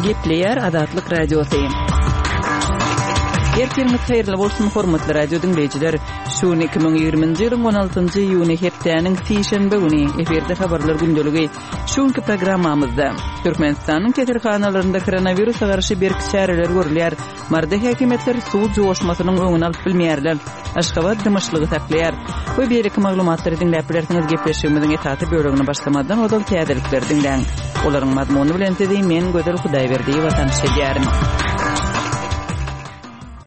Gepleýär Azatlyk Radiosy. Ertiriňiz haýyrly bolsun, hormatly radio diňleýjiler. Şu gün 2020-nji ýylyň 16-njy iýuny hepdäniň sişenbe güni efirde habarlar gündeligi. Şu günki programmamyzda Türkmenistanyň keselhanalarynda koronawirusa garşy berk çäreler görülýär. Maryda häkimiýetler suw joşmasynyň öňüni alyp bilmeýärler. Aşgabat dymyşlygy saklaýar. We beýleki maglumatlary diňläp bilersiňiz gepleşigimiziň esasy bölegine başlamazdan ozal täzelikleri diňläň. Olaryň mazmuny bilen sizi men Gözel Hudaýberdiýewa tanyş edýärin.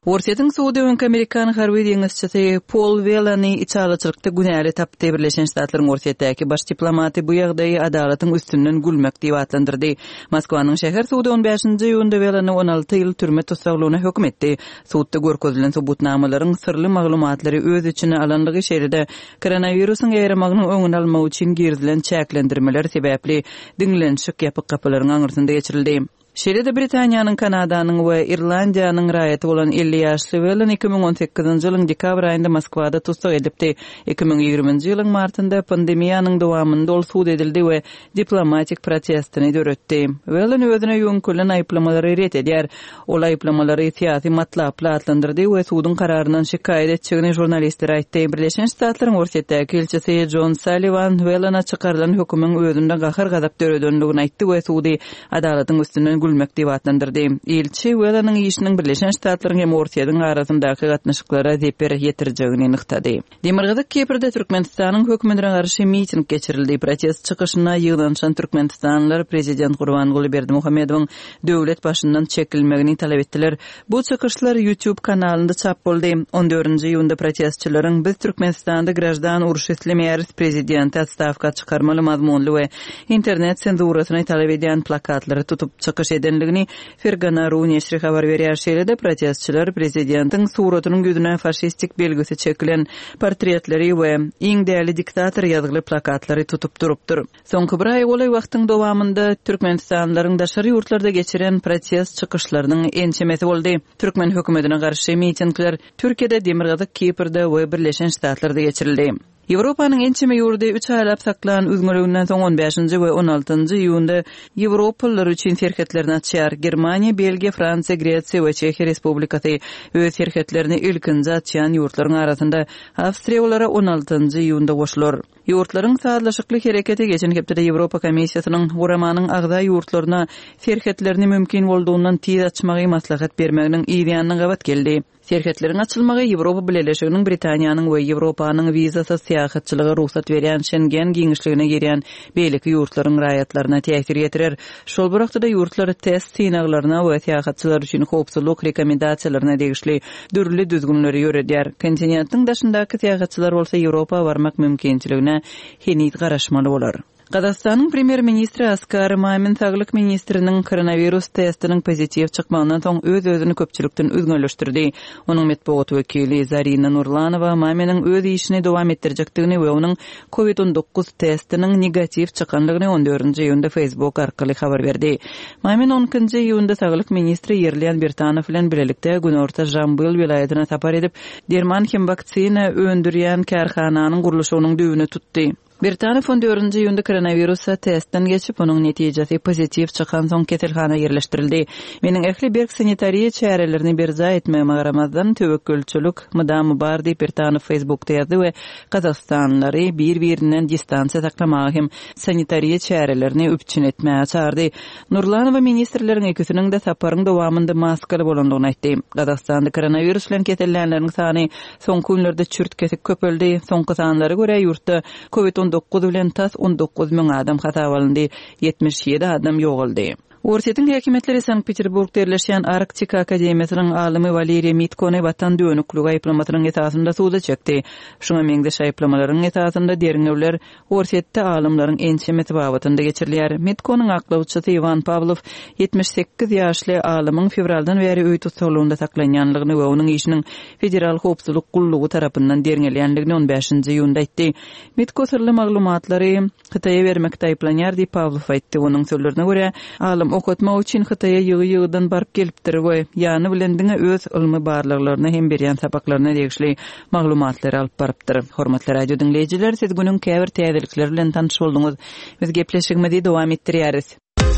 Orsýetiň sudy öňki amerikan harby deňizçisi Pol Welany içalyçylykda günäli tapdy. Birleşen Ştatlaryň Orsýetdäki baş diplomaty bu ýagdaýy adalatyň üstünden gülmek diýip atlandyrdy. Moskwanyň şäher sudy on bäşinji iýunda Welany 16 ýyl türme tussaglygyna höküm etdi. Sudda görkezilen subutnamalaryň syrly maglumatlary öz içine alandygy, şeýle-de koronawirusyň ýaýramagynyň öňüni almak üçin girizilen çäklendirmeler sebäpli diňlenişik ýapyk gapylaryň aňyrsynda geçirildi. Şeýle-de Britaniýanyň, Kanadanyň we Irlandiýanyň raýaty bolan 50 ýaşly Welan 2018-nji ýylyň dekabr aýynda Moskwada tussag edilipdi. 2020-nji ýylyň martynda pandemiýanyň dowamynda ol sud edildi we diplomatik protestini döretdi. Welan özüne ýöňkelen aýyplamalary ret edýär. Ol aýyplamalary syýasy matlaply atlandyrdy we suduň kararyndan şikaýat etjegini žurnalistlere aýtdy. Birleşen Ştatlaryň Orsýetdäki ilçisi Jon Salliwan Welana çykarylan hökümiň özünde gahar-gazap döredendigini aýtdy we sudy adalatyň üstünden gülmek diýip atlandyrdy. Ilçi Welanyň işiniň Birleşen Ştatlaryň hem Orsýetiň arasyndaky gatnaşyklara zeper ýetirjegini nygtady. Demirgazyk Kiprde Türkmenistanyň hökümetine garşy miting geçirildi. Protest çykyşyna ýygnanyşan türkmenistanlylar prezident Gurbanguly Berdimuhamedowyň döwlet başyndan çekilmegini talap etdiler. Bu çykyşlar YouTube kanalynda çap boldy. On dördünji iýunda protestçileriň Biz Türkmenistanda graždan urşy islemeýäris, prezidenti otstawka çykarmaly mazmunly we internet senzurasyny talap edýän plakatlary tutup çykyş edendigini Fergana ru neşri habar berýär. Şeýle-de protestçiler prezidentiň suratynyň ýüzüne faşistik belgisi çekilen portretleri we Iň däli diktator ýazgyly plakatlary tutup durupdyr. Soňky bir aýa golaý wagtyň dowamynda türkmenistanlylaryň daşary ýurtlarda geçiren protest çykyşlarynyň ençemesi boldy. Türkmen hökümetine garşy mitingler Türkiýede, Demirgazyk Kiprde we Birleşen Ştatlarda geçirildi. Ýewropanyň ençeme ýurdy üç aýlap saklan üzňeliginden soň on bäşinji we on altynjy iýunda ýewropalylar üçin serhetlerini açýar. Germaniýa, Belgiýa, Fransiýa, Gresiýa we Çehiýa Respublikasy öz serhetlerini ilkinji açýan ýurtlaryň arasynda. Awstriýa olara on altynjy iýunda goşular. Ýurtlaryň sazlaşykly hereketi geçen hepdede Ýewropa Komissiýasynyň guramanyň agza ýurtlaryna serhetlerini mümkin boldugyndan tiz açmagy maslahat bermeginiň yzýanyna gabat geldi. Serhetleriň açylmagy Ýewropa Bileleşiginiň Britaniýanyň we Ýewropanyň wizasyz syýahatçylyga rugsat berýän Şengen giňişligine girýän beýleki ýurtlaryň raýatlaryna täsir ýetirer. Şol bir wagtda-da ýurtlar test synaglaryna we syýahatçylar üçin howpsuzlyk rekomendasiýalaryna degişli dürli düzgünleri ýöredýär. Kontinentiň daşyndaky syýahatçylar bolsa Ýewropa barmak mümkinçiligine heniz garaşmaly bolar. Gazagystanyň premýer-ministri Askar Mamin saglyk ministriniň koronawirus testiniň pozitiw çykmagyndan soň öz-özüni köpçülikden üzňeleşdirdi. Onuň metbugat wekili Zarina Nurlanowa Maminiň öz işini dowam etdirjekdigini we onuň Covid 19 testiniň negatiw çykandygyny on dördünji iýunda Facebook arkaly habar berdi. Mamin on ikinji iýunda saglyk ministri Ýerlian Birtanow bilen bilelikde günorta Žambyl welaýatyna sapar edip, derman hem waksina öndürýän kärhananyň gurluşygynyň düýbüni tutdy. Birtanow on dördünji iýunda koronawirusa testden geçip, onuň netijesi pozitiw çykansoň keselhana ýerleşdirildi. Meniň ähli berk sanitariýa çärelerini berjaý etmegime garamazdan, töwekgelçilik mydama bar diýip, Birtanow Facebookda ýazdy we gazagystanlylary bir-birinden distansiýa saklamaga hem sanitariýa çärelerini üpjün etmäge çagyrdy. Nurlanowa ministrleriň ikisiniň-de saparyň dowamynda maskaly bolandygyny aýtdy. Gazagystanda koronawirus bilen kesellänleriň sany Soňky günlerde çürt-kesik köpeldi. Soňky sanlara görä, ýurtda Covid 19 bilen tas 19 müň adam hasaba alyndy, 77 adam ýogaldy. Orsýetiň häkimiýetleri Sankt-Peterburgda ýerleşýän Arktika akademiýasynyň alymy Waleriý Mitkony watan dönükligi aýyplamasynyň esasynda suda çekdi. Şuňa meňzeş aýyplamalaryň esasynda derňewler Orsýetde alymlaryň ençemesi babatynda geçirilýär. Mitkonyň aklawçysy Iwan Pawlow 78 ýaşly alymyň fewraldan bäri öý tussaglygynda saklanýanlygyny we onuň işiniň Federal howpsuzlyk gullugy tarapyndan derňelýändigini on bäşinji iýunda aýtdy. Mitko syrly maglumatlary Hytaýa bermekde aýyplanýar diýip, Pawlow aýtdy. Onuň sözlerine görä, alym okatmak üçin Hytaýa ýygy-ýygydan baryp gelipdir we ýany bilen diňe öz ylmy barlaglaryna hem berýän sapaklaryna degişli maglumatlary alyp barypdyr. Hormatly radio diňleýjiler, siz günüň käbir täzelikleri bilen tanyş bolduňyz. Biz gepleşigimizi dowam etdirýäris.